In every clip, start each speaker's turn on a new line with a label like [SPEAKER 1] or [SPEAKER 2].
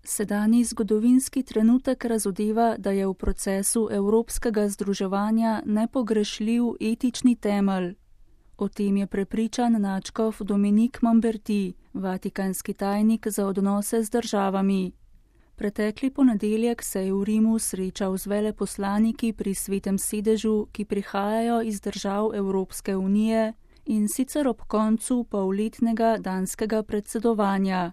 [SPEAKER 1] Sedanji zgodovinski trenutek razodeva, da je v procesu evropskega združevanja nepogrešljiv etični temelj. O tem je prepričan nadškof Dominique Lamberty, vatikanski tajnik za odnose z državami. Pretekli ponedeljek se je v Rimu srečal z veleposlaniki pri Svetem sedežu, ki prihajajo iz držav Evropske unije, in sicer ob koncu polletnega danskega predsedovanja.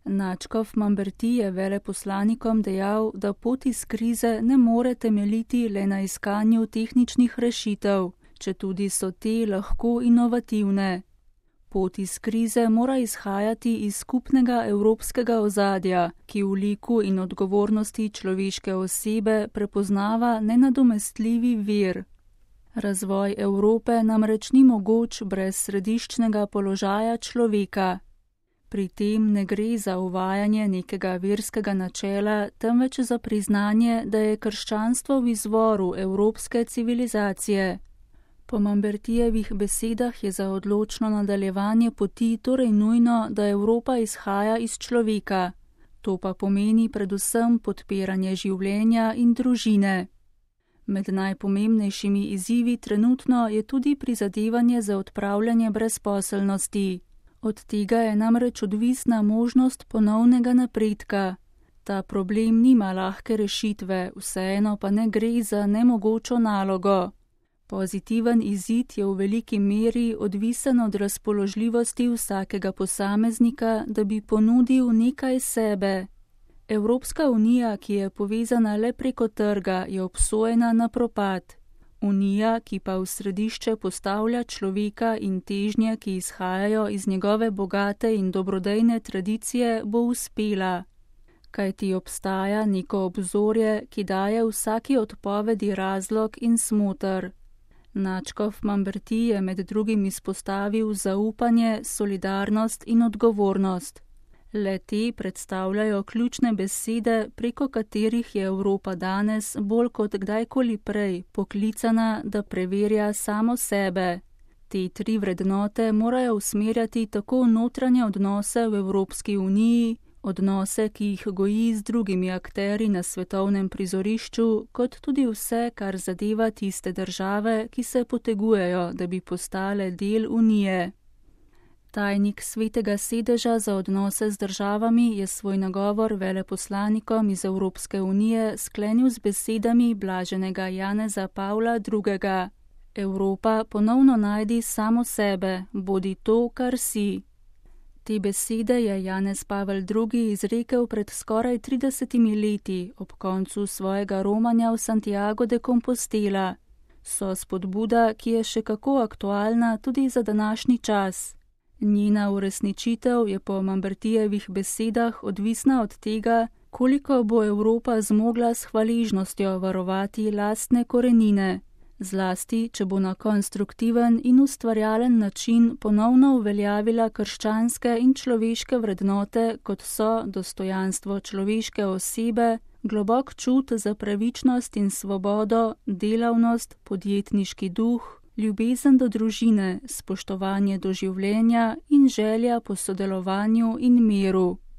[SPEAKER 1] Nadškof Lamberty je veleposlanikom dejal, da pot iz krize ne more temeljiti le na iskanju tehničnih rešitev, četudi so te lahko inovativne. Pot iz krize mora izhajati iz skupnega evropskega ozadja, ki v liku in odgovornosti človeške osebe prepoznava nenadomestljivi vir. Razvoj Evrope namreč ni mogoč brez središčnega položaja človeka. Pri tem ne gre za uvajanje nekega verskega načela, temveč za priznanje, da je krščanstvo v izvoru evropske civilizacije. Po Lambertyjevih besedah je za odločno nadaljevanje poti torej nujno, da Evropa izhaja iz človeka. To pa pomeni predvsem podpiranje življenja in družine. Med najpomembnejšimi izzivi trenutno je tudi prizadevanje za odpravljanje brezposelnosti. Od tega je namreč odvisna možnost ponovnega napredka. Ta problem nima lahke rešitve, vseeno pa ne gre za nemogočo nalogo. Pozitiven izid je v veliki meri odvisen od razpoložljivosti vsakega posameznika, da bi ponudil nekaj sebe. Evropska unija, ki je povezana le preko trga, je obsojena na propad. Unija, ki pa v središče postavlja človeka in težnje, ki izhajajo iz njegove bogate in dobrodejne tradicije, bo uspela. Kajti obstaja neko obzorje, ki daje vsaki odpovedi razlog in smoter. Nadškof Lamberty je med drugim izpostavil zaupanje, solidarnost in odgovornost. Le te predstavljajo ključne besede, preko katerih je Evropa danes bolj kot kdajkoli prej poklicana, da preverja samo sebe. Te tri vrednote morajo usmerjati tako notranje odnose v Evropski uniji, odnose, ki jih goji z drugimi akterji na svetovnem prizorišču, kot tudi vse, kar zadeva tiste države, ki se potegujejo, da bi postale del unije. Tajnik Svetega sedeža za odnose z državami je svoj nagovor veleposlanikom iz Evropske unije sklenil z besedami blaženega Janeza Pavla II. Evropa, ponovno najdi samo sebe, bodi to, kar si. Te besede je Janez Pavel II. Izrekel pred skoraj 30 leti ob koncu svojega romanja v Santiago de Compostela. So spodbuda, ki je še kako aktualna tudi za današnji čas. Njena uresničitev je po Lambertyjevih besedah odvisna od tega, koliko bo Evropa zmogla s hvaležnostjo varovati lastne korenine, zlasti, če bo na konstruktiven in ustvarjalen način ponovno uveljavila krščanske in človeške vrednote, kot so dostojanstvo človeške osebe, globok čut za pravičnost in svobodo, delavnost, podjetniški duh, ljubezen do družine, spoštovanje do življenja in želja po sodelovanju in miru.